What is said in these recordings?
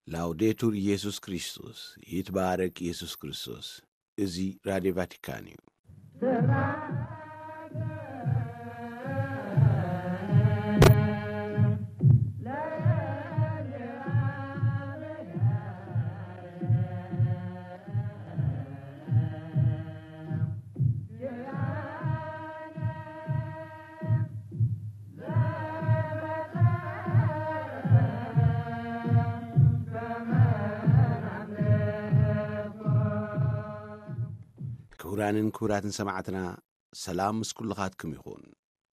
ላውዴቱር ኢየሱስ ክርስቶስ፣ ይትባረክ ኢየሱስ ክርስቶስ። እዚ ራድዮ ቫቲካን እዩ። ክቡራንን ክቡራትን ሰማዕትና፣ ሰላም ምስ ኩልኻትኩም ይኹን።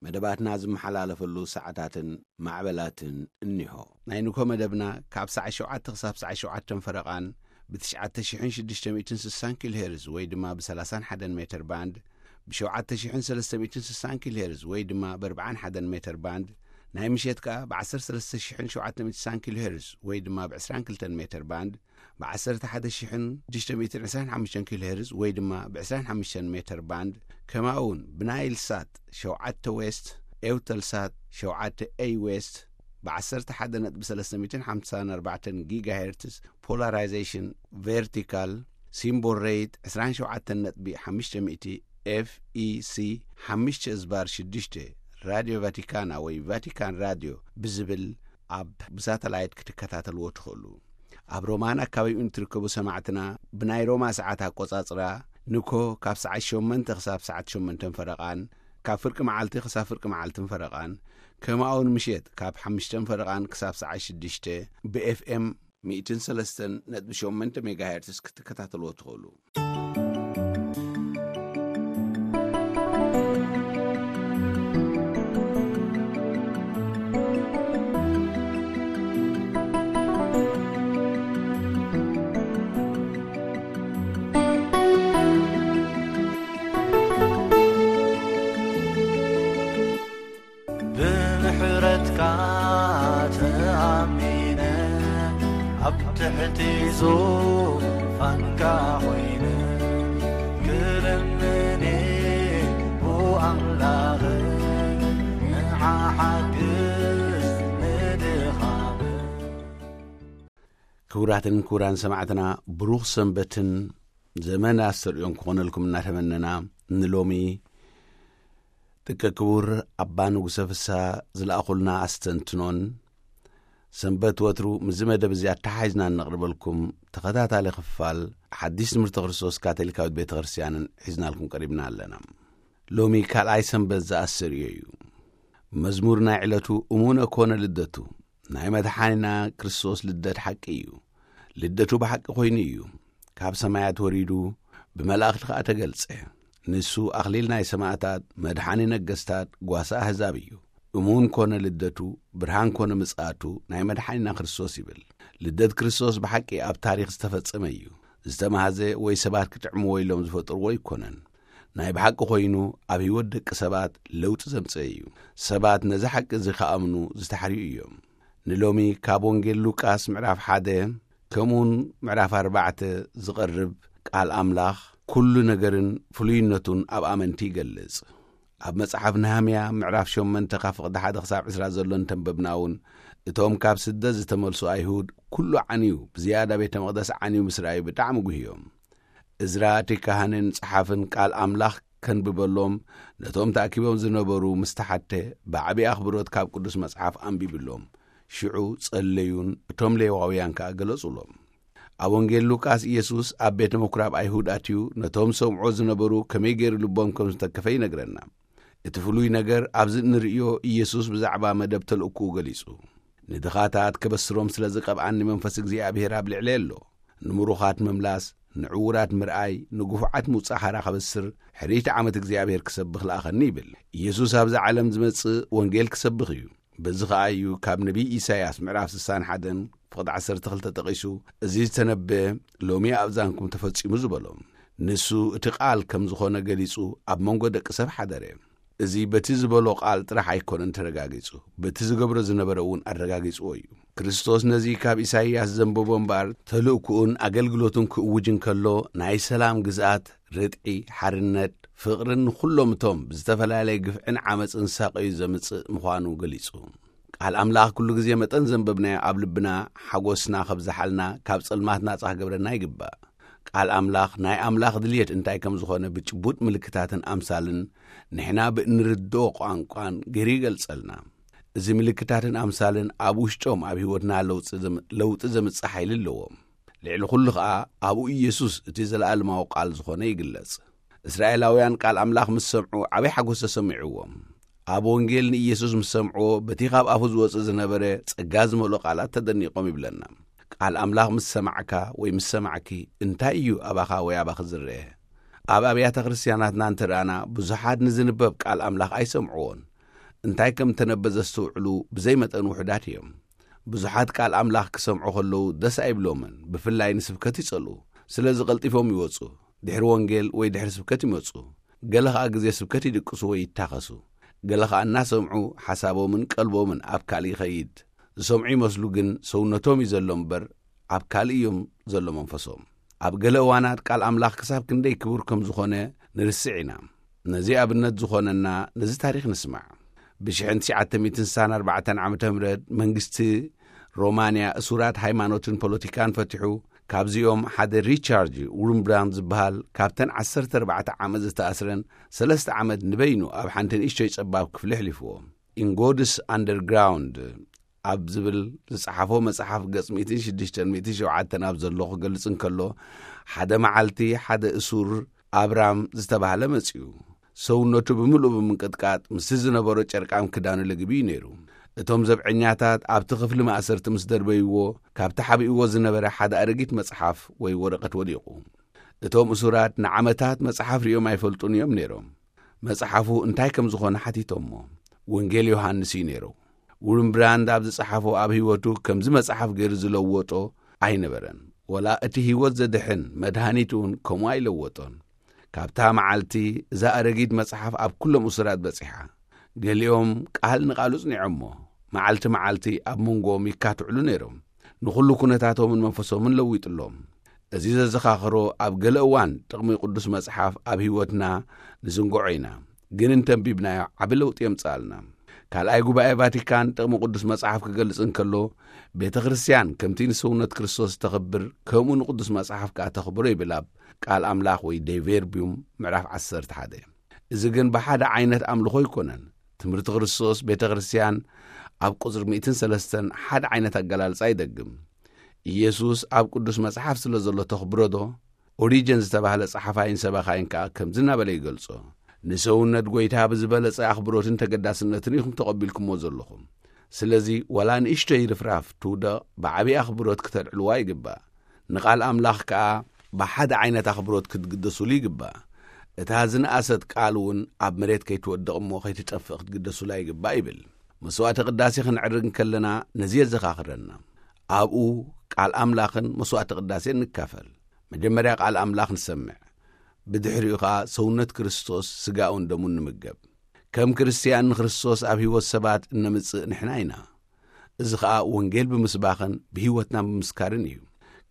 መደባትና ዝመሓላለፈሉ ሰዓታትን ማዕበላትን እኒሆ። ናይ ንግሆ መደብና ካብ ሰዓት ሸውዓተ ክሳብ ሰዓት ሸውዓተ ፈረቓን ብ ትሽዓተ ሽሕን ሽዱሽተ ሚእትን ስሳን ኪሎ ሄርዝ ወይ ድማ ብ ሰላሳን ሓደን ሜትር ባንድ፣ ብ ሸውዓተ ሽሕን ሰለስተ ሚእትን ስሳን ኪሎ ሄርዝ ወይ ድማ ብ ኣርባዓን ሓደን ሜትር ባንድ፣ ናይ ምሸት ከኣ ብ ዓሰርተ ሰለስተ ሽሕን ሸውዓተ ሚእትን ስሳን ኪሎ ሄርዝ ወይ ድማ ብ ዕስራን ክልተን ሜትር ባንድ፣ ብ ዓሰርተ ሓደ ሽሕን ሽዱሽተ ሚእትን ዕስራን ሓሙሽተን ኪሎ ሄርዝ ወይ ድማ ብ ዕስራን ሓሙሽተን ሜትር ባንድ፣ ከምኡ እውን ብናይል ሳት ሸውዓተ ዌስት፣ ኤውተል ሳት ሸውዓተ ኤይ ዌስት፣ ብ ዓሰርተ ሓደ ነጥቢ ሰለስተ ሚእትን ሓምሳን ኣርባዕተን ጊጋ ሄርትዝ ፖላራይዜሽን ቨርቲካል፣ ሲምቦል ሬት ዕስራን ሸውዓተን ነጥቢ ሓሙሽተ ሚእቲ ኤፍ ኢ ሲ ሓሙሽተ እዝባር ሽዱሽተ፣ ራድዮ ቫቲካና ወይ ቫቲካን ራድዮ ብዝብል ኣብ ብሳተላይት ክትከታተልዎ ትኽእሉ። ኣብ ሮማን ኣካባቢኡን ትርከቡ ሰማዕትና፣ ብናይ ሮማ ሰዓት ኣቆጻጽራ፣ ንኮ ካብ ሰዓት ሸሞንተ ክሳብ ሰዓት ሸሞንተን ፈረቓን፣ ካብ ፍርቂ መዓልቲ ክሳብ ፍርቂ መዓልትን ፈረቓን፣ ከምኡ እውን ምሸት ካብ ሓሙሽተን ፈረቓን ክሳብ ሰዓት ሽዱሽተ ብ ኤፍ ኤም ሚእትን ሰለስተን ነጥቢ ሸሞንተ ሜጋሄርትስ ክትከታተልዎ ትኽእሉ። ብምሕረትካ ተኣሚነ ኣብ ትሕቲ ዙፋንካ ኮይነ ክልምኔ ብኣምላኽ ንዓሓግዝ ንድኻም። ክቡራትን ክቡራን ሰማዕትና፣ ብሩኽ ሰንበትን ዘመን ኣስተርእዮን ክኾነልኩም እናተመነና፣ ንሎሚ ደቂ ክቡር ኣባ ንጉሰ ፍስሃ ዝለኣኹልና ኣስተንትኖን፣ ሰንበት ወትሩ ምስዚ መደብ እዚ ኣተሓሒዝና እነቕርበልኩም ተኸታታሊ ክፋል ሓድሽ ትምህርቲ ክርስቶስ ካቶሊካዊት ቤተ ክርስቲያንን ሒዝናልኩም ቀሪብና ኣለና። ሎሚ ካልኣይ ሰንበት ዘኣስተርእዮ እዩ። መዝሙር ናይ ዕለቱ እሙነ ኮነ ልደቱ፣ ናይ መድሓኒና ክርስቶስ ልደት ሓቂ እዩ። ልደቱ ብሓቂ ኮይኑ እዩ። ካብ ሰማያት ወሪዱ፣ ብመላእኽቲ ኸኣ ተገልጸ። ንሱ ኣኽሊል ናይ ሰማዕታት፣ መድሓኒ ነገስታት፣ ጓሳ ኣህዛብ እዩ። እሙን ኮነ ልደቱ፣ ብርሃን ኮነ ምጽኣቱ፣ ናይ መድሓኒና ክርስቶስ ይብል። ልደት ክርስቶስ ብሓቂ ኣብ ታሪኽ ዝተፈጸመ እዩ። ዝተማህዘ ወይ ሰባት ክጥዕምዎ ኢሎም ዝፈጥርዎ ኣይኮነን። ናይ ብሓቂ ኮይኑ ኣብ ህይወት ደቂ ሰባት ለውጢ ዘምጽአ እዩ። ሰባት ነዚ ሓቂ እዚ ክኣምኑ ዝተሓርዩ እዮም። ንሎሚ ካብ ወንጌል ሉቃስ ምዕራፍ ሓደ ከምኡውን ምዕራፍ ኣርባዕተ ዝቐርብ ቃል ኣምላኽ ኩሉ ነገርን ፍሉይነቱን ኣብ ኣመንቲ ይገልጽ። ኣብ መጽሓፍ ነህምያ ምዕራፍ ሸሞንተ ካብ ፍቕዲ ሓደ ክሳብ ዕስራ ዘሎ እንተንበብና እውን፣ እቶም ካብ ስደት ዝተመልሱ ኣይሁድ ኩሉ ዓንዩ፣ ብዝያዳ ቤተ መቕደስ ዓንዩ ምስ ረኣዩ ብጣዕሚ ጉህዮም። እዝራ እቲ ካህንን ጸሓፍን ቃል ኣምላኽ ከንብበሎም ነቶም ተኣኪቦም ዝነበሩ ምስ ተሓተ፣ ብዓቢ ኣኽብሮት ካብ ቅዱስ መጽሓፍ ኣንቢብሎም። ሽዑ ጸለዩን እቶም ሌዋውያን ከኣ ገለጹሎም። ኣብ ወንጌል ሉቃስ፣ ኢየሱስ ኣብ ቤተ ምኩራብ ኣይሁድ ኣትዩ ነቶም ሰምዖ ዝነበሩ ከመይ ገይሩ ልቦም ከም ዝተከፈ ይነግረና። እቲ ፍሉይ ነገር፣ ኣብዚ እንርእዮ ኢየሱስ ብዛዕባ መደብ ተልእኮኡ ገሊጹ። ንድኻታት ከበስሮም ስለ ዝቐብኣኒ መንፈስ እግዚኣብሔር ኣብ ልዕለይ ኣሎ። ንምሩኻት ምምላስ፣ ንዕዉራት ምርኣይ፣ ንግፉዓት ምውጻእ ሓራ ከበስር፣ ሕርይቲ ዓመት እግዚኣብሔር ክሰብኽ ለኣኸኒ ይብል። ኢየሱስ ኣብዚ ዓለም ዝመጽእ ወንጌል ክሰብኽ እዩ። በዚ ኸኣ እዩ ካብ ነቢይ ኢሳይያስ ምዕራፍ ስሳን ሓደን ፍቕዲ ዓሰርተ ክልተ ጠቒሱ፣ እዚ ዝተነበየ ሎሚ ኣብ ዛንኩም ተፈጺሙ ዝበሎ። ንሱ እቲ ቃል ከም ዝኾነ ገሊጹ ኣብ መንጎ ደቂ ሰብ ሓደረ። እዚ በቲ ዝበሎ ቃል ጥራሕ ኣይኮነን ተረጋጊጹ፣ በቲ ዝገብሮ ዝነበረ እውን ኣረጋጊጽዎ እዩ። ክርስቶስ ነዚ ካብ ኢሳይያስ ዘንበቦ እምበኣር፣ ተልእኮኡን ኣገልግሎቱን ክእውጅ እንከሎ፣ ናይ ሰላም ግዝኣት፣ ርትዒ፣ ሓርነት፣ ፍቕርን ንኹሎም እቶም ብዝተፈላለየ ግፍዕን ዓመጽን ዝሳቐዩ ዘምጽእ ምዃኑ ገሊጹ። ቃል ኣምላኽ ኩሉ ግዜ መጠን ዘንበብናዮ ኣብ ልብና ሓጎስና ከብዝሓልና፣ ካብ ጸልማት ናጻ ክገብረና ይግባእ። ቃል ኣምላኽ ናይ ኣምላኽ ድልየት እንታይ ከም ዝኾነ ብጭቡጥ ምልክታትን ኣምሳልን ንሕና ብእንርድኦ ቋንቋን ገይሩ ይገልጸልና። እዚ ምልክታትን ኣምሳልን ኣብ ውሽጦም ኣብ ህይወትና ለውጢ ዘም-፣ ለውጢ ዘምጽእ ሓይሊ ኣለዎም። ልዕሊ ኩሉ ኸኣ ኣብኡ ኢየሱስ እቲ ዘለኣለማዊ ቃል ዝኾነ ይግለጽ። እስራኤላውያን ቃል ኣምላኽ ምስ ሰምዑ ዓበይ ሓጎስ ተሰሚዕዎም። ኣብ ወንጌል ንኢየሱስ ምስ ሰምዕዎ በቲ ካብ ኣፉ ዝወጽእ ዝነበረ ጸጋ ዝመልኦ ቃላት ተደኒቖም ይብለና። ቃል ኣምላኽ ምስ ሰማዕካ ወይ ምስ ሰማዕኪ እንታይ እዩ ኣባኻ ወይ ኣባኺ ዝረአ? ኣብ ኣብያተ ክርስቲያናትና እንተ ረኣና ብዙሓት ንዝንበብ ቃል ኣምላኽ ኣይሰምዕዎን። እንታይ ከም እተነበ ዘስተውዕሉ ብዘይ መጠን ውሑዳት እዮም። ብዙሓት ቃል ኣምላኽ ክሰምዑ ከለዉ ደስ ኣይብሎምን፣ ብፍላይ ንስብከት ይጸልኡ። ስለዚ ቀልጢፎም ይወጹ። ድሕሪ ወንጌል ወይ ድሕሪ ስብከት ይመጹ። ገለ ኸኣ ግዜ ስብከት ይድቅሱ ወይ ይታኸሱ። ገለ ኸኣ እናሰምዑ ሓሳቦምን ቀልቦምን ኣብ ካልእ ይኸይድ። ዝሰምዑ ይመስሉ ግን ሰውነቶም እዩ ዘሎ እምበር ኣብ ካልእ እዮም ዘሎ መንፈሶም። ኣብ ገለ እዋናት ቃል ኣምላኽ ክሳብ ክንደይ ክቡር ከም ዝኾነ ንርስዕ ኢና። ነዚ ኣብነት ዝኾነና ነዚ ታሪኽ ንስማዕ። ብ1964 ዓመተ ምህረት መንግስቲ ሮማንያ እሱራት ሃይማኖትን ፖለቲካን ፈቲሑ፣ ካብዚኦም ሓደ ሪቻርድ ውርምብራንድ ዝበሃል ካብተን 14 ዓመት ዝተኣስረን ሰለስተ ዓመት ንበይኑ ኣብ ሓንቲ ንእሽቶይ ጸባብ ክፍሊ ኣሕሊፍዎ። ኢንጎድስ ኣንደርግራውንድ ኣብ ዝብል ዝጸሓፎ መጽሓፍ ገጽ 106-107 ኣብ ዘሎ ክገልጽ እንከሎ፣ ሓደ መዓልቲ ሓደ እሱር ኣብራም ዝተባህለ መጺኡ። ሰውነቱ ብምልኡ ብምንቅጥቃጥ ምስቲ ዝነበሮ ጨርቃም ክዳኑ ለግቢኡ ነይሩ። እቶም ዘብዐኛታት ኣብቲ ክፍሊ ማእሰርቲ ምስ ደርበይዎ፣ ካብቲ ሓቢእዎ ዝነበረ ሓደ ኣረጊት መጽሓፍ ወይ ወረቐት ወዲቑ። እቶም እሱራት ንዓመታት መጽሓፍ ሪኦም ኣይፈልጡን እዮም ነይሮም። መጽሓፉ እንታይ ከም ዝኾነ ሓቲቶሞ። ወንጌል ዮሃንስ እዩ ነይሩ። ውርምብራንድ ኣብ ዝጸሓፎ ኣብ ህይወቱ ከምዚ መጽሓፍ ገይሩ ዝለወጦ ኣይነበረን። ወላ እቲ ህይወት ዘድሕን መድሃኒት እውን ከምኡ ኣይለወጦን። ካብታ መዓልቲ እዛ ኣረጊት መጽሓፍ ኣብ ኩሎም እሱራት በጺሓ። ገሊኦም ቃል ንቓሉ ጽኒዖሞ። መዓልቲ መዓልቲ ኣብ መንጎኦም ይካትዕሉ ነይሮም። ንኹሉ ኩነታቶምን መንፈሶምን ለዊጥሎም። እዚ ዘዘኻኽሮ ኣብ ገለ እዋን ጥቕሚ ቅዱስ መጽሓፍ ኣብ ህይወትና ንዝንግዖ ኢና። ግን እንተንቢብናዮ ዓቢ ለውጢ የምጽኣልና። ካልኣይ ጉባኤ ቫቲካን ጥቕሚ ቅዱስ መጽሓፍ ክገልጽ እንከሎ፣ ቤተ ክርስቲያን ከምቲ ንሰውነት ክርስቶስ ተኽብር፣ ከምኡ ንቅዱስ መጽሓፍ ከኣ ተኽብሮ ይብል ኣብ ቃል ኣምላኽ ወይ ዴ ቨርቢዩም ምዕራፍ 11። እዚ ግን ብሓደ ዓይነት ኣምልኾ ኣይኮነን። ትምህርቲ ክርስቶስ ቤተ ክርስቲያን ኣብ ቁጽሪ 103 ሓደ ዓይነት ኣገላልጻ ይደግም። ኢየሱስ ኣብ ቅዱስ መጽሓፍ ስለ ዘሎ ተኽብሮ ዶ? ኦሪጀን ዝተባህለ ጸሓፋይን ሰባኻይን ከኣ ከምዚ እናበለ ይገልጾ፣ "ንሰውነት ጐይታ ብዝበለጸ ኣኽብሮትን ተገዳስነትን ኢኹም ተቐቢልኩሞ ዘለኹም። ስለዚ ዋላ ንእሽቶይ ርፍራፍ ትውደቕ ብዓቢ ኣኽብሮት ክተልዕልዋ ይግባእ። ንቓል ኣምላኽ ከኣ ብሓደ ዓይነት ኣኽብሮት ክትግደሱሉ ይግባእ። እታ ዝነኣሰት ቃል እውን ኣብ መሬት ከይትወድቕ እሞ ከይትጠፍእ ክትግደሱላ ይግባእ" ይብል። መስዋዕተ ቅዳሴ ክንዕርግ እንከለና ነዚ የዘኻኽረና። ኣብኡ ቃል ኣምላኽን መስዋዕተ ቅዳሴን ንካፈል። መጀመርያ ቃል ኣምላኽ ንሰምዕ፣ ብድሕሪኡ ኸኣ ሰውነት ክርስቶስ ስጋኡን ደሙን ንምገብ። ከም ክርስትያን ንክርስቶስ ኣብ ህይወት ሰባት እነምጽእ ንሕና ኢና። እዚ ኸኣ ወንጌል ብምስባኽን ብህይወትና ብምስካርን እዩ።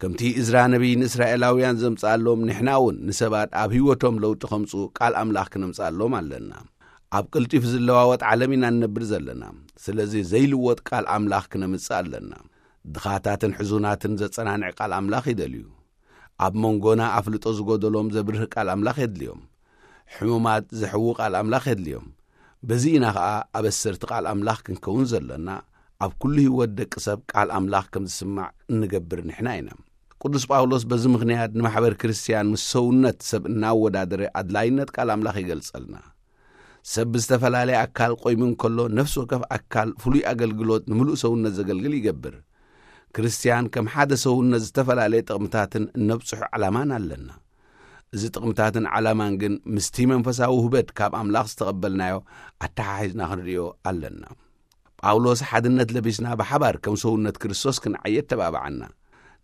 ከምቲ እዝራ ነቢይ ንእስራኤላውያን ዘምጽኣሎም፣ ንሕና እውን ንሰባት ኣብ ህይወቶም ለውጢ ከምጽኡ ቃል ኣምላኽ ክነምጽኣሎም ኣለና። ኣብ ቅልጢፍ ዝለዋወጥ ዓለም ኢና እንነብር ዘለና። ስለዚ ዘይልወጥ ቃል ኣምላኽ ክነምጽእ ኣለና። ድኻታትን ሕዙናትን ዘጸናንዕ ቃል ኣምላኽ ይደልዩ። ኣብ መንጎና ኣፍልጦ ዝጎደሎም ዘብርህ ቃል ኣምላኽ የድልዮም። ሕሙማት ዘሕዊ ቃል ኣምላኽ የድልዮም። በዚ ኢና ኸኣ ኣበሰርቲ ቃል ኣምላኽ ክንከውን ዘለና። ኣብ ኩሉ ህይወት ደቂ ሰብ ቃል ኣምላኽ ከም ዝስማዕ እንገብር ንሕና ኢና። ቅዱስ ጳውሎስ በዚ ምኽንያት ንማሕበር ክርስትያን ምስ ሰውነት ሰብ እናወዳደረ ኣድላይነት ቃል ኣምላኽ ይገልጸልና። ሰብ ብዝተፈላለየ ኣካል ቆይሙ እንከሎ፣ ነፍሲ ወከፍ ኣካል ፍሉይ ኣገልግሎት ንምሉእ ሰውነት ዘገልግል ይገብር። ክርስትያን ከም ሓደ ሰውነት ዝተፈላለየ ጥቕምታትን እነብጽሖ ዓላማን ኣለና። እዚ ጥቕምታትን ዓላማን ግን ምስቲ መንፈሳዊ ውህበት ካብ ኣምላኽ ዝተቐበልናዮ ኣተሓሒዝና ክንርእዮ ኣለና። ጳውሎስ ሓድነት ለቢስና ብሓባር ከም ሰውነት ክርስቶስ ክንዓይ የተባብዓና።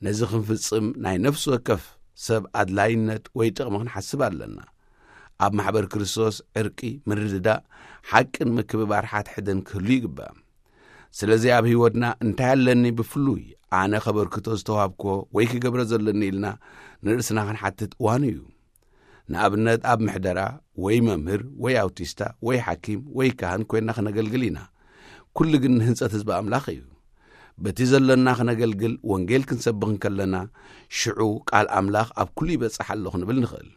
ነዚ ክንፍጽም ናይ ነፍሲ ወከፍ ሰብ ኣድላይነት ወይ ጥቕሚ ክንሓስብ ኣለና። ኣብ ማሕበር ክርስቶስ ዕርቂ፣ ምርድዳእ፣ ሓቅን ምክብባር ሓድሕድን ክህሉ ይግባእ። ስለዚ ኣብ ህይወትና እንታይ ኣለኒ ብፍሉይ ኣነ ከበርክቶ ዝተዋህብኮ ወይ ክገብረ ዘለኒ ኢልና ንርእስና ክንሓትት እዋኑ እዩ። ንኣብነት ኣብ ምሕደራ ወይ መምህር ወይ ኣውቲስታ ወይ ሓኪም ወይ ካህን ኮይና ክነገልግል ኢና። ኩሉ ግን ንህንጸት ህዝቢ ኣምላኽ እዩ። በቲ ዘሎና ክነገልግል ወንጌል ክንሰብኽ እንከለና፣ ሽዑ ቃል ኣምላኽ ኣብ ኩሉ ይበጽሕ ኣሎ ክንብል ንኽእል።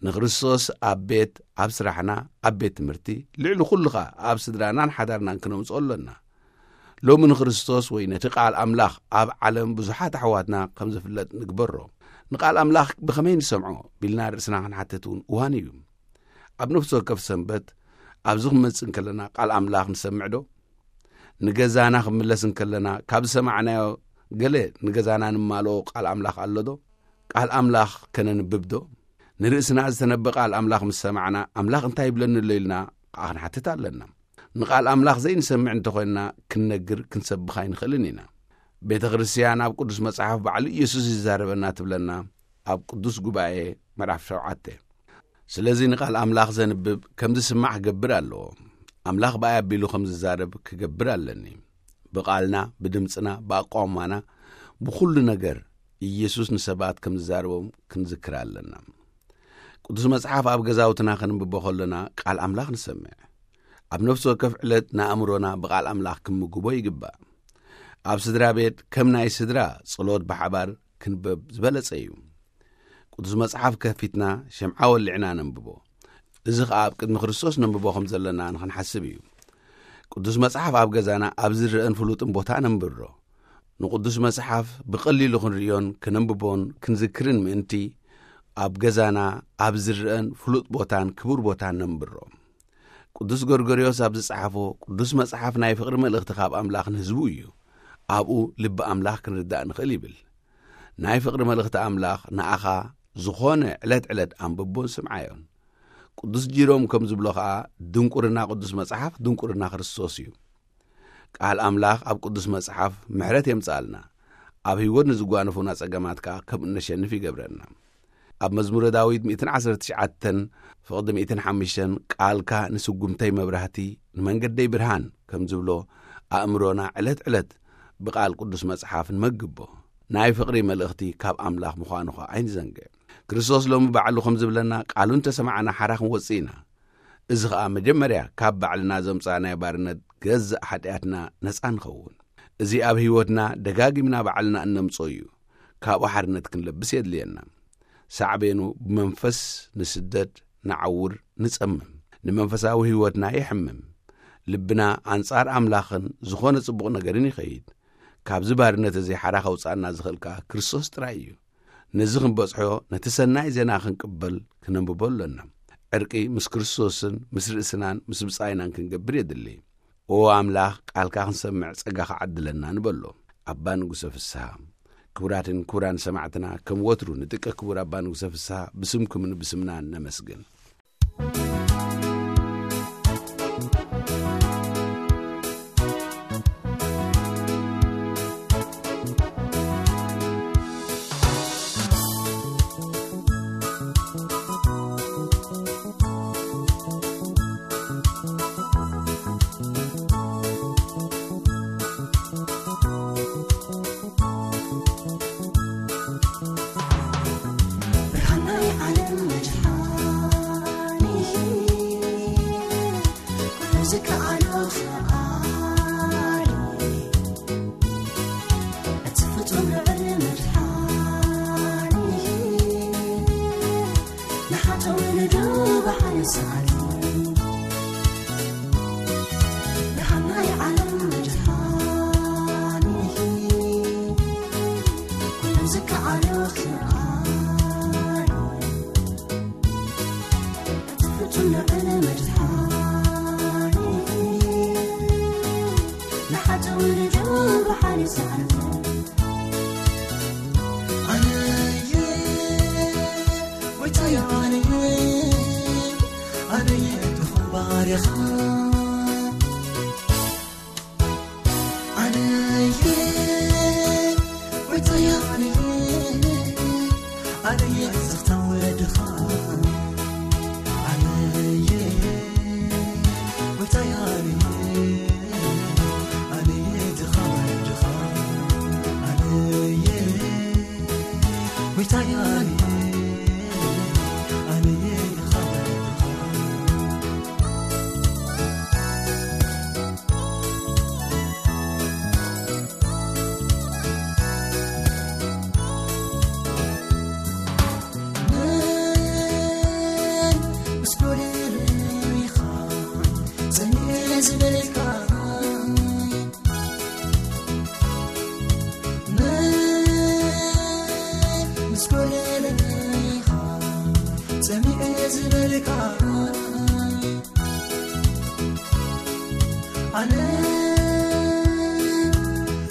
ንክርስቶስ ኣብ ቤት፣ ኣብ ስራሕና፣ ኣብ ቤት ትምህርቲ፣ ልዕሊ ኩሉ ኸኣ ኣብ ስድራናን ሓዳርናን ክነምጽኦ ኣሎና። ሎሚ ንክርስቶስ ወይ ነቲ ቃል ኣምላኽ ኣብ ዓለም ብዙሓት ኣሕዋትና ከም ዝፍለጥ ንግበሮ። ንቃል ኣምላኽ ብኸመይ ንሰምዖ ቢልና ርእስና ክንሓትት እውን እዋን እዩ። ኣብ ነፍሲ ወከፍ ሰንበት ኣብዚ ክንመጽእ እንከለና ቃል ኣምላኽ ንሰምዕ ዶ? ንገዛና ክንምለስ እንከለና ካብ ዝሰማዕናዮ ገለ ንገዛና ንማልኦ ቃል ኣምላኽ ኣሎ ዶ? ቃል ኣምላኽ ከነንብብ ዶ? ንርእስና ዝተነበ ቃል ኣምላኽ ምስ ሰማዕና ኣምላኽ እንታይ ይብለኒ ኣሎ ኢልና ከዓ ክንሓትት ኣለና። ንቃል ኣምላኽ ዘይንሰምዕ እንተኾይንና ክንነግር ክንሰብኽ ኣይንኽእልን ኢና። ቤተ ክርስትያን ኣብ ቅዱስ መጽሓፍ ባዕሉ ኢየሱስ ይዛረበና ትብለና ኣብ ቅዱስ ጉባኤ ምዕራፍ ሸውዓተ። ስለዚ ንቃል ኣምላኽ ዘንብብ ከም ዝስማዕ ክገብር ኣለዎ። ኣምላኽ ብኣይ ኣቢሉ ከም ዝዛረብ ክገብር ኣለኒ። ብቓልና፣ ብድምጽና፣ ብኣቋውማና፣ ብኹሉ ነገር ኢየሱስ ንሰባት ከም ዝዛረቦም ክንዝክር ኣለና። ቅዱስ መጽሓፍ ኣብ ገዛውትና ከንብቦ ከሎና ቃል ኣምላኽ ንሰምዕ። ኣብ ነፍሲ ወከፍ ዕለት ንኣእምሮና ብቓል ኣምላኽ ክንምግቦ ይግባእ። ኣብ ስድራ ቤት ከም ናይ ስድራ ጸሎት ብሓባር ክንበብ ዝበለጸ እዩ። ቅዱስ መጽሓፍ ከፊትና ሸምዓ ወሊዕና ነንብቦ። እዚ ኸኣ ኣብ ቅድሚ ክርስቶስ ነንብቦ ከም ዘለና ንኽንሓስብ እዩ። ቅዱስ መጽሓፍ ኣብ ገዛና ኣብ ዝረአን ፍሉጥን ቦታ ነንብሮ። ንቅዱስ መጽሓፍ ብቐሊሉ ክንርእዮን ክነንብቦን ክንዝክርን ምእንቲ፣ ኣብ ገዛና ኣብ ዝረአን ፍሉጥ ቦታን ክቡር ቦታን ነንብሮ። ቅዱስ ጎርጎርዮስ ኣብ ዝጸሓፎ፣ ቅዱስ መጽሓፍ ናይ ፍቕሪ መልእኽቲ ካብ ኣምላኽ ንህዝቡ እዩ። ኣብኡ ልቢ ኣምላኽ ክንርዳእ ንኽእል ይብል። ናይ ፍቕሪ መልእኽቲ ኣምላኽ ንኣኻ ዝኾነ ዕለት ዕለት ኣንብቦን ስምዓዮን። ቅዱስ ጂሮም ከም ዝብሎ ኸኣ፣ ድንቁርና ቅዱስ መጽሓፍ ድንቁርና ክርስቶስ እዩ። ቃል ኣምላኽ ኣብ ቅዱስ መጽሓፍ ምሕረት የምጽኣልና፣ ኣብ ህይወት ንዝጓነፉና ጸገማት ከኣ ከም እነሸንፍ ይገብረና። ኣብ መዝሙረ ዳዊት ሚእትን ዓሰርተ ትሽዓተን ፍቕዲ ሚእትን ሓሙሽተን፣ "ቃልካ ንስጉምተይ መብራህቲ፣ ንመንገደይ ብርሃን" ከም ዝብሎ፣ ኣእምሮና ዕለት ዕለት ብቃል ቅዱስ መጽሓፍ ንመግቦ። ናይ ፍቕሪ መልእኽቲ ካብ ኣምላኽ ምዃኑ ኸኣ ኣይንዘንግዕ። ክርስቶስ ሎሚ ባዕሉ ከም ዝብለና፣ ቃሉ እንተሰማዕና ሓራ ክንወጽእ ኢና። እዚ ኸኣ መጀመርያ ካብ ባዕልና ዘምጻእናዮ ባርነት ገዛእ ሓጢኣትና ነጻ ንኸውን። እዚ ኣብ ህይወትና ደጋጊምና ባዕልና እነምጾ እዩ። ካብኡ ሓርነት ክንለብስ የድልየና። ሳዕቤኑ ብመንፈስ ንስደድ፣ ንዓውር፣ ንጸምም። ንመንፈሳዊ ህይወትና የሕምም። ልብና ኣንጻር ኣምላኽን ዝኾነ ጽቡቕ ነገርን ይኸይድ። ካብዚ ባርነት እዚ ሓራ ከውጽኣና ዝኽእል ከኣ ክርስቶስ ጥራይ እዩ። ነዚ ክንበጽሖ ነቲ ሰናይ ዜና ክንቅበል ክነንብቦ ኣሎና። ዕርቂ ምስ ክርስቶስን ምስ ርእስናን ምስ ብጻይናን ክንገብር የድሊ። ኦ ኣምላኽ፣ ቃልካ ክንሰምዕ ጸጋ ክዓድለና ንበሎ። ኣባ ንጉሰ ፍስሃ። ክቡራትን ክቡራን ሰማዕትና፣ ከም ወትሩ ንጥቀ ክቡር ኣባ ንጉሰ ፍስሃ ብስምኩምን ብስምናን ነመስግን። ብርሃን ናይ ዓለም መድሓኒ፣ ኩሉ ዝከኣሎ ፈጣሪ፣ እቲ ፍጹም ልዑል መድሓኒ፣ ንሓጥኡ ንዱብ ሓሊሱ ኣድኑ። ደሃናይ ዓለም መድሓኒ፣ ኩሉ ዝከኣሎ ክኣሉ፣ እቲ ፍጹም ልዑል መድሓኒ፣ ንሓጥኡ ንዱብ ሓሊሱ ኣድኑ። ኣነየ፣ ጎይታየ ኣነየ፣ ኣነየ፣ ድኹም ባርያኻ። ኣነየ፣ ጎይታየ ኣነየ፣ ኣነየ፣ ስኽታ ወድኻ። ኣነየ፣ ጎይታየ ኣነየ፣ ኣነየ፣ ድኻ ወድኻ። ኣነየ፣ ጎይታየ ኣነየ፣ ኣነየ፣ ድኻ ወድኻ። ኣነ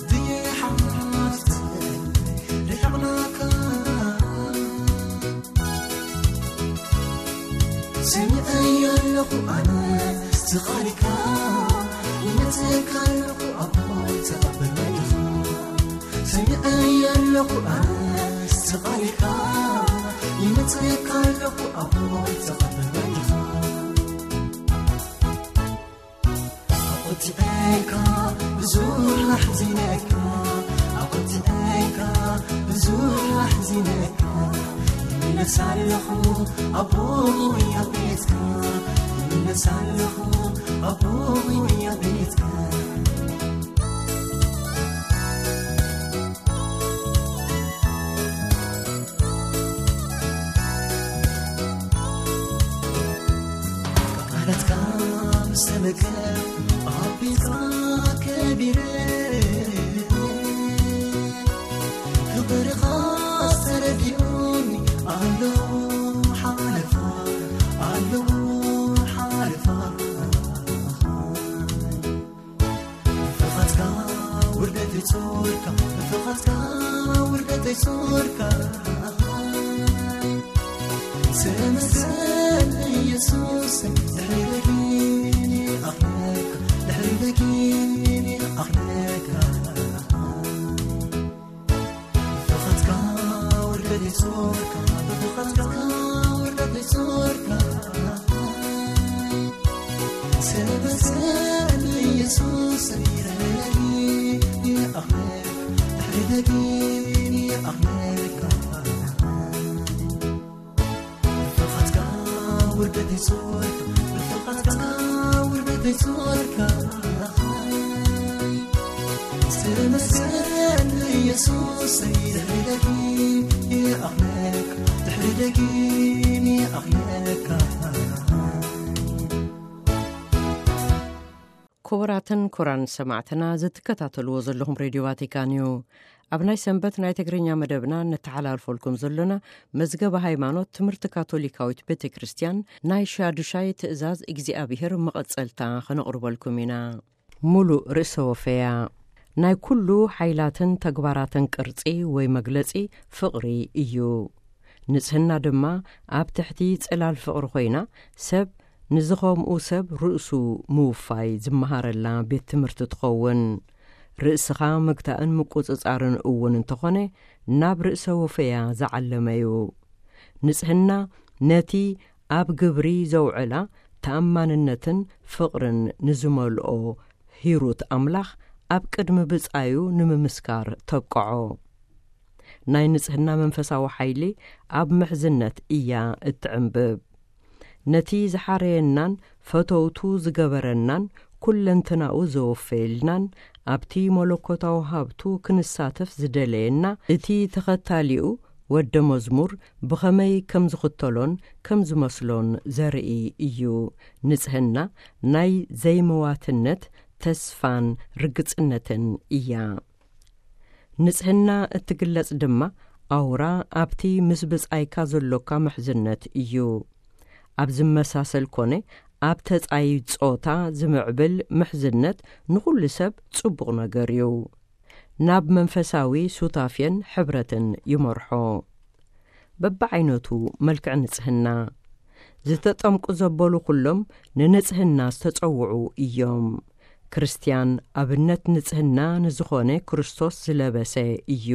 ድየ ሓፍተይ ርሒቕናካ? ሰሚዐዮ ኣለኹ ኣነ ስቓልካ፣ ይመጽእካ ኣለኹ ኣቦይ ተቐበል ወድኻ። ሰሚዐዮ ኣለኹ ኣነ ስቓልካ፣ ይመጽእካ ኣለኹ ኣቦይ ተቐበል ወድኻ። ኣቆጢዐካ ብዙሕ ኣሕዚነካ፣ ኣቆጢዐካ ብዙሕ ኣሕዚነካ። ይምለስ ኣለኹ ኣቦይ ኣብ ቤትካ፣ ይምለስ ኣለኹ ኣቦይ ኣብ ቤትካ። ቃላትካ ምስ ተመገብ ኣብ ቤትካ ከቢረ፣ ፍቕርኻ ተረዲኡኒ ኣለዉ ሓለፋ፣ ኣለዉ ሓለፋ። ፍኻትካ ውርደት ይጾርካ፣ ፍኻትካ ውርደት ይጾርካ። ተመስገን ኢየሱስ፣ ድሕሪ ደጊም ይኣኽለካ፣ ድሕሪ ደጊም ይኣኽለካ። ፍኻትካ ውርደት ይጾርካ፣ ፍኻትካ ውርደት ይጾርካ። ተመስገን ኢየሱስ፣ ድሕሪ ደጊም ይኣኽለካ፣ ድሕሪ ደጊም ይኣኽለካ። ፍኻትካ ውርደት ይጾርካ፣ ፍኻትካ ውርደት ይጾርካ። ተመስገን ኢየሱስ፣ ድሕሪ ደጊም ይኣኽለካ፣ ድሕሪ ደጊም ይኣኽለካ። ክቡራትን ክቡራን ሰማዕትና፣ ዝትከታተልዎ ዘለኹም ሬድዮ ቫቲካን እዩ። ኣብ ናይ ሰንበት ናይ ትግርኛ መደብና ነተሓላልፈልኩም ዘሎና መዝገበ ሃይማኖት ትምህርቲ ካቶሊካዊት ቤተ ክርስቲያን ናይ ሻዱሻይ ትእዛዝ እግዚኣብሔር መቐጸልታ ከነቕርበልኩም ኢና። ሙሉእ ርእሰ ወፈያ ናይ ኩሉ ሓይላትን ተግባራትን ቅርጺ ወይ መግለጺ ፍቕሪ እዩ። ንጽህና ድማ ኣብ ትሕቲ ጽላል ፍቕሪ ኮይና፣ ሰብ ንዝኸምኡ ሰብ ርእሱ ምውፋይ ዝመሃረላ ቤት ትምህርቲ ትኸውን። ርእስኻ ምግታእን ምቁጽጻርን እውን እንተኾነ፣ ናብ ርእሰ ወፈያ ዝዓለመ እዩ። ንጽህና ነቲ ኣብ ግብሪ ዘውዕላ ተኣማንነትን ፍቕርን ንዝመልኦ ሂሩት ኣምላኽ ኣብ ቅድሚ ብጻዩ ንምምስካር ተብቅዖ። ናይ ንጽህና መንፈሳዊ ሓይሊ ኣብ ምሕዝነት እያ እትዕንብብ። ነቲ ዝሓረየናን ፈተውቱ ዝገበረናን ኩለንትናኡ ዘወፈየልናን ኣብቲ መለኮታዊ ሃብቱ ክንሳተፍ ዝደለየና እቲ ተኸታሊኡ ወደ መዝሙር ብኸመይ ከም ዝኽተሎን ከም ዝመስሎን ዘርኢ እዩ። ንጽህና ናይ ዘይመዋትነት ተስፋን ርግጽነትን እያ። ንጽህና እትግለጽ ድማ ኣውራ ኣብቲ ምስ ብጻይካ ዘሎካ ምሕዝነት እዩ። ኣብ ዝመሳሰል ኮነ ኣብ ተጻይ ጾታ ዝምዕብል ምሕዝነት ንኹሉ ሰብ ጽቡቕ ነገር እዩ። ናብ መንፈሳዊ ሱታፌን ሕብረትን ይመርሖ። በብዓይነቱ መልክዕ ንጽህና ዝተጠምቁ ዘበሉ ኩሎም ንንጽህና ዝተጸውዑ እዮም። ክርስትያን ኣብነት ንጽህና ንዝኾነ ክርስቶስ ዝለበሰ እዩ።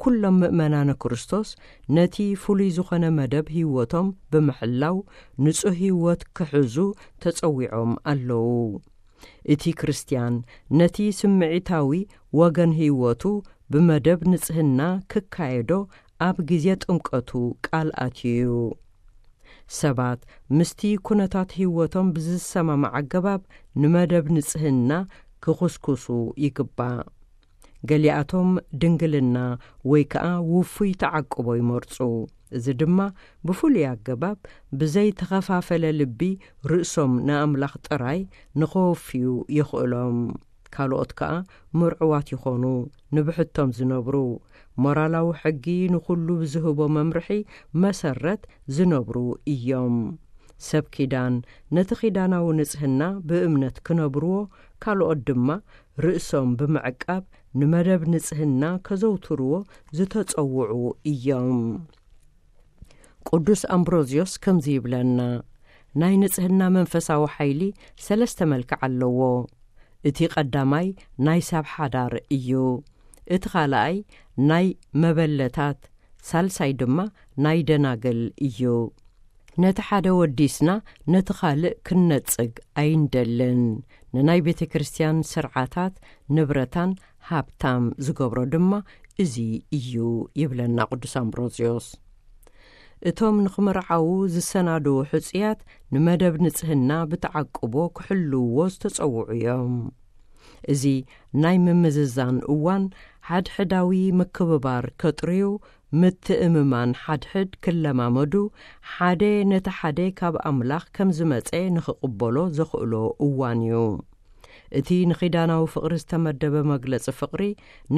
ኩሎም ምእመናነ ክርስቶስ ነቲ ፍሉይ ዝኾነ መደብ ህይወቶም ብምሕላው ንጹህ ህይወት ክሕዙ ተጸዊዖም ኣለዉ። እቲ ክርስትያን ነቲ ስምዒታዊ ወገን ህይወቱ ብመደብ ንጽህና ክካየዶ ኣብ ግዜ ጥምቀቱ ቃል ኣትዩ እዩ። ሰባት ምስቲ ኩነታት ህይወቶም ብዝሰማማዕ ኣገባብ ንመደብ ንጽህና ክኹስኩሱ ይግባእ። ገሊኣቶም ድንግልና ወይ ከኣ ውፉይ ተዓቅቦ ይመርጹ። እዚ ድማ ብፍሉይ ኣገባብ ብዘይተኸፋፈለ ልቢ ርእሶም ንኣምላኽ ጥራይ ንኸወፍዩ የኽእሎም። ካልኦት ከኣ ምርዑዋት ይኾኑ፣ ንብሕቶም ዝነብሩ፣ ሞራላዊ ሕጊ ንኹሉ ብዝህቦ መምርሒ መሰረት ዝነብሩ እዮም። ሰብ ኪዳን ነቲ ኪዳናዊ ንጽህና ብእምነት ክነብርዎ፣ ካልኦት ድማ ርእሶም ብምዕቃብ ንመደብ ንጽህና ከዘውትርዎ ዝተጸውዑ እዮም። ቅዱስ ኣምብሮዝዮስ ከምዚ ይብለና፣ ናይ ንጽህና መንፈሳዊ ሓይሊ ሰለስተ መልክዕ ኣለዎ። እቲ ቀዳማይ ናይ ሰብ ሓዳር እዩ። እቲ ካልኣይ ናይ መበለታት፣ ሳልሳይ ድማ ናይ ደናግል እዩ። ነቲ ሓደ ወዲስና ነቲ ካልእ ክንነጽግ ኣይንደልን። ንናይ ቤተ ክርስቲያን ስርዓታት ንብረታን ሃብታም ዝገብሮ ድማ እዚ እዩ ይብለና ቅዱስ ኣምብሮዝዮስ። እቶም ንኽምርዓዉ ዝሰናድዉ ሕጹያት ንመደብ ንጽህና ብተዓቅቦ ክሕልውዎ ዝተጸውዑ እዮም። እዚ ናይ ምምዝዛን እዋን ሓድሕዳዊ ምክብባር ከጥርዩ፣ ምትእምማን ሓድሕድ ክለማመዱ፣ ሓደ ነቲ ሓደ ካብ ኣምላኽ ከም ዝመጸ ንኽቕበሎ ዘኽእሎ እዋን እዩ። እቲ ንኺዳናዊ ፍቕሪ ዝተመደበ መግለጺ ፍቕሪ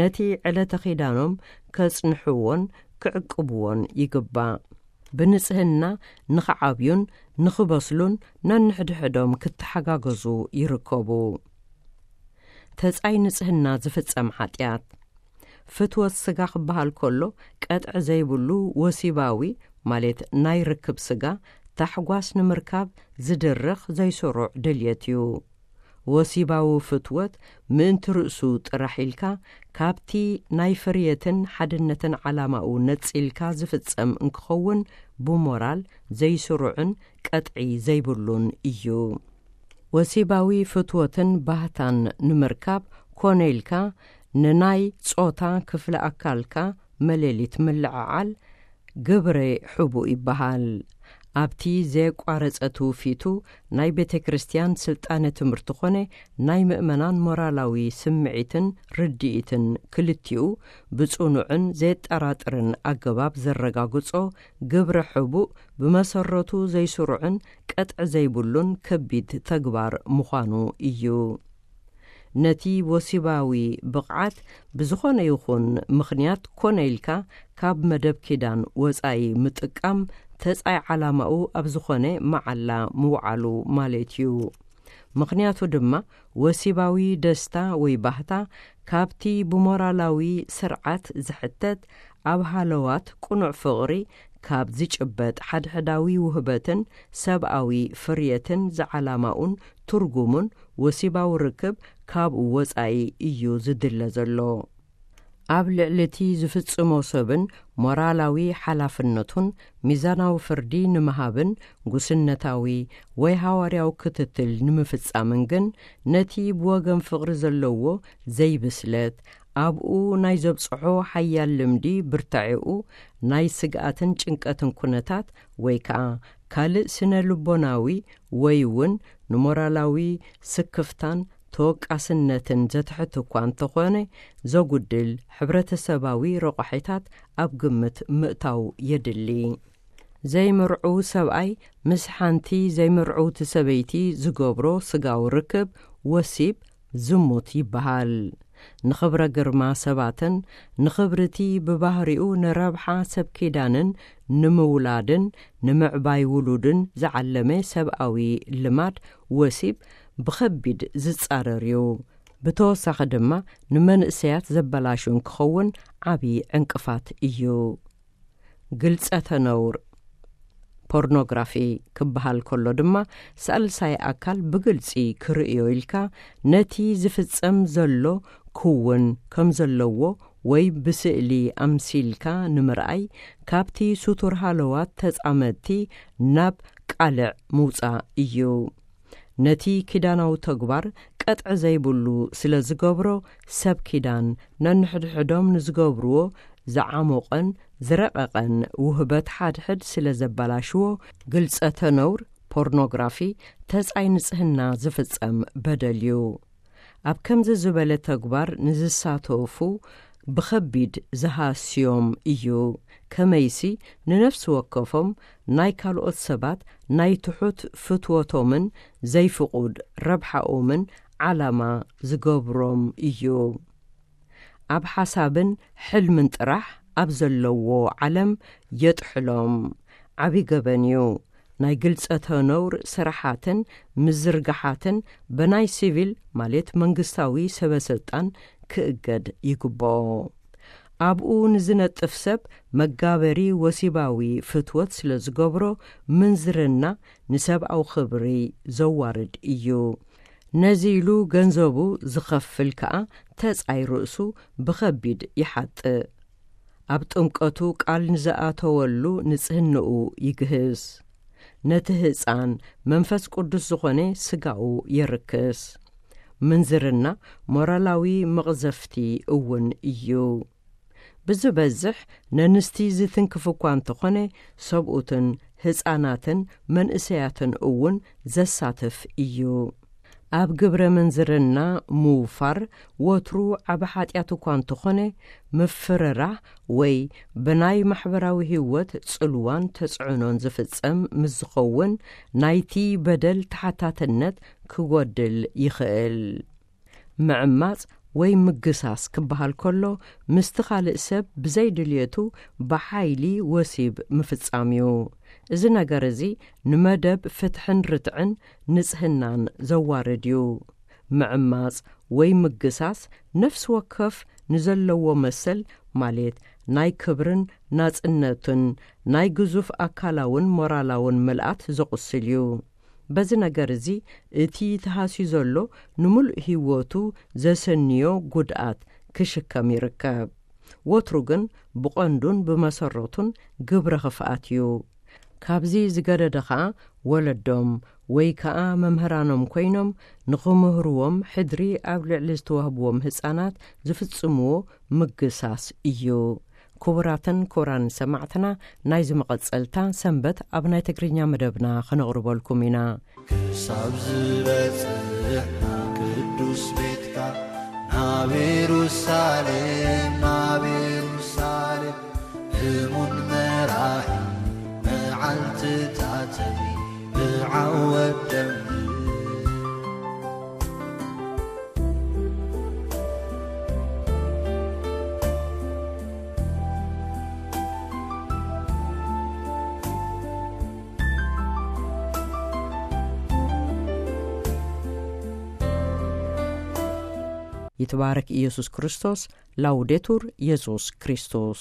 ነቲ ዕለተ ኺዳኖም ከጽንሕዎን ክዕቅብዎን ይግባእ። ብንጽህና ንኽዓብዩን ንኽበስሉን ነንሕድሕዶም ክተሓጋገዙ ይርከቡ። ተጻይ ንጽህና ዝፍጸም ሓጢኣት። ፍትወት ስጋ ክበሃል ከሎ ቀጥዒ ዘይብሉ ወሲባዊ ማለት ናይ ርክብ ስጋ ታሕጓስ ንምርካብ ዝድርኽ ዘይስሩዕ ድልየት እዩ። ወሲባዊ ፍትወት ምእንቲ ርእሱ ጥራሕ ኢልካ ካብቲ ናይ ፍርየትን ሓድነትን ዓላማኡ ነጺልካ ዝፍጸም እንክኸውን ብሞራል ዘይስሩዕን ቀጥዒ ዘይብሉን እዩ። ወሲባዊ ፍትወትን ባህታን ንምርካብ ኮነ ኢልካ ንናይ ጾታ ክፍለ ኣካልካ መሌሊት ምልዕዓል ግብረ ሕቡእ ይበሃል። ኣብቲ ዘየቋረጸ ትውፊቱ ናይ ቤተ ክርስቲያን ስልጣነ ትምህርቲ ኾነ ናይ ምእመናን ሞራላዊ ስምዒትን ርድኢትን ክልቲኡ ብጽኑዕን ዘየጠራጥርን ኣገባብ ዘረጋግጾ ግብረ ሕቡእ ብመሰረቱ ዘይስሩዕን ቀጥዒ ዘይብሉን ከቢድ ተግባር ምዃኑ እዩ። ነቲ ወሲባዊ ብቕዓት ብዝኾነ ይኹን ምኽንያት ኮነ ኢልካ ካብ መደብ ኪዳን ወጻኢ ምጥቃም ተጻይ ዓላማኡ ኣብ ዝኾነ መዓላ ምውዓሉ ማለት እዩ። ምኽንያቱ ድማ ወሲባዊ ደስታ ወይ ባህታ ካብቲ ብሞራላዊ ስርዓት ዝሕተት ኣብ ሃለዋት ቅኑዕ ፍቕሪ ካብ ዝጭበጥ ሓድሕዳዊ ውህበትን ሰብኣዊ ፍርየትን ዝዓላማኡን ትርጉሙን ወሲባዊ ርክብ ካብኡ ወጻኢ እዩ ዝድለ ዘሎ። ኣብ ልዕሊ እቲ ዝፍጽሞ ሰብን ሞራላዊ ሓላፍነቱን ሚዛናዊ ፍርዲ ንምሃብን ጉስነታዊ ወይ ሃዋርያዊ ክትትል ንምፍጻምን ግን ነቲ ብወገን ፍቕሪ ዘለዎ ዘይብስለት ኣብኡ ናይ ዘብጽሖ ሓያል ልምዲ ብርታዒኡ ናይ ስግኣትን ጭንቀትን ኩነታት ወይ ከኣ ካልእ ስነ ልቦናዊ ወይ እውን ንሞራላዊ ስክፍታን ተወቃስነትን ዘትሕት እኳ እንተኾነ ዘጉድል ሕብረተሰባዊ ረቋሒታት ኣብ ግምት ምእታው የድሊ። ዘይምርዑው ሰብኣይ ምስ ሓንቲ ዘይምርዕውቲ ሰበይቲ ዝገብሮ ስጋዊ ርክብ ወሲብ ዝሙት ይበሃል። ንኽብረ ግርማ ሰባትን ንኽብርቲ ብባህሪኡ ንረብሓ ሰብ ኪዳንን ንምውላድን ንምዕባይ ውሉድን ዝዓለመ ሰብኣዊ ልማድ ወሲብ ብኸቢድ ዝጻረር እዩ። ብተወሳኺ ድማ ንመንእሰያት ዘበላሹ እንክኸውን ዓቢ ዕንቅፋት እዩ። ግልጸተ ነውር ፖርኖግራፊ ክበሃል ከሎ ድማ ሳልሳይ ኣካል ብግልጺ ክርእዮ ኢልካ ነቲ ዝፍጸም ዘሎ ክውን ከም ዘለዎ ወይ ብስእሊ ኣምሲልካ ንምርኣይ ካብቲ ስቱር ሃለዋት ተጻመድቲ ናብ ቃልዕ ምውጻእ እዩ። ነቲ ኪዳናዊ ተግባር ቀጥዒ ዘይብሉ ስለ ዝገብሮ ሰብ ኪዳን ነንሕድሕዶም ንዝገብርዎ ዝዓሞቐን ዝረቐቐን ውህበት ሓድሕድ ስለ ዘበላሽዎ ግልጸተ ነውር ፖርኖግራፊ ተጻይ ንጽህና ዝፍጸም በደል እዩ። ኣብ ከምዚ ዝበለ ተግባር ንዝሳተፉ ብኸቢድ ዝሃስዮም እዩ። ከመይሲ ንነፍሲ ወከፎም ናይ ካልኦት ሰባት ናይ ትሑት ፍትወቶምን ዘይፍቑድ ረብሓኦምን ዓላማ ዝገብሮም እዩ። ኣብ ሓሳብን ሕልምን ጥራሕ ኣብ ዘለዎ ዓለም የጥሕሎም። ዓቢ ገበን እዩ። ናይ ግልጸተ ነውር ስራሓትን ምዝርጋሓትን በናይ ሲቪል ማለት መንግስታዊ ሰበ ስልጣን ክእገድ ይግብኦ። ኣብኡ ንዝነጥፍ ሰብ መጋበሪ ወሲባዊ ፍትወት ስለ ዝገብሮ፣ ምንዝርና ንሰብኣዊ ክብሪ ዘዋርድ እዩ። ነዚ ኢሉ ገንዘቡ ዝኸፍል ከኣ ተጻይ ርእሱ ብኸቢድ ይሓጥእ። ኣብ ጥምቀቱ ቃል ንዝኣተወሉ ንጽህንኡ ይግህስ። ነቲ ህጻን መንፈስ ቅዱስ ዝኾነ ስጋኡ የርክስ። ምንዝርና ሞራላዊ መቕዘፍቲ እውን እዩ። ብዝበዝሕ ነንስቲ ዝትንክፍ እኳ እንተኾነ፣ ሰብኡትን ህጻናትን መንእሰያትን እውን ዘሳትፍ እዩ። ኣብ ግብረ ምንዝርና ምውፋር ወትሩ ዓቢ ሓጢኣት እኳ እንተኾነ፣ ምፍርራህ ወይ ብናይ ማሕበራዊ ህይወት ጽልዋን ተጽዕኖን ዝፍጸም ምስ ዝኸውን፣ ናይቲ በደል ተሓታትነት ክጎድል ይኽእል። ምዕማጽ ወይ ምግሳስ ክበሃል ከሎ፣ ምስቲ ካልእ ሰብ ብዘይ ድልየቱ ብሓይሊ ወሲብ ምፍጻም እዩ። እዚ ነገር እዚ ንመደብ ፍትሕን ርትዕን ንጽህናን ዘዋርድ እዩ። ምዕማጽ ወይ ምግሳስ ነፍሲ ወከፍ ንዘለዎ መሰል፣ ማለት ናይ ክብርን ናጽነትን ናይ ግዙፍ ኣካላውን ሞራላውን ምልኣት ዘቑስል እዩ። በዚ ነገር እዚ እቲ ተሃስዩ ዘሎ ንምሉእ ህይወቱ ዘሰንዮ ጉድኣት ክሽከም ይርከብ። ወትሩ ግን ብቐንዱን ብመሰረቱን ግብረ ክፍኣት እዩ። ካብዚ ዝገደደ ኸኣ ወለዶም ወይ ከኣ መምህራኖም ኮይኖም ንኽምህርዎም ሕድሪ ኣብ ልዕሊ ዝተዋህብዎም ህጻናት ዝፍጽምዎ ምግሳስ እዩ። ክቡራትን ክቡራን ሰማዕትና፣ ናይዚ መቐጸልታ ሰንበት ኣብ ናይ ትግርኛ መደብና ከነቕርበልኩም ኢና። ክሳብ ዝበጽሕ ናብ ቅዱስ ቤትካ፣ ናብ የሩሳሌም፣ ናብ የሩሳሌም፣ እሙን መራሒ መዓልትታተይ ብዓወት ደም ይትባረክ ኢየሱስ ክርስቶስ። ላውዴቱር ኢየሱስ ክርስቶስ።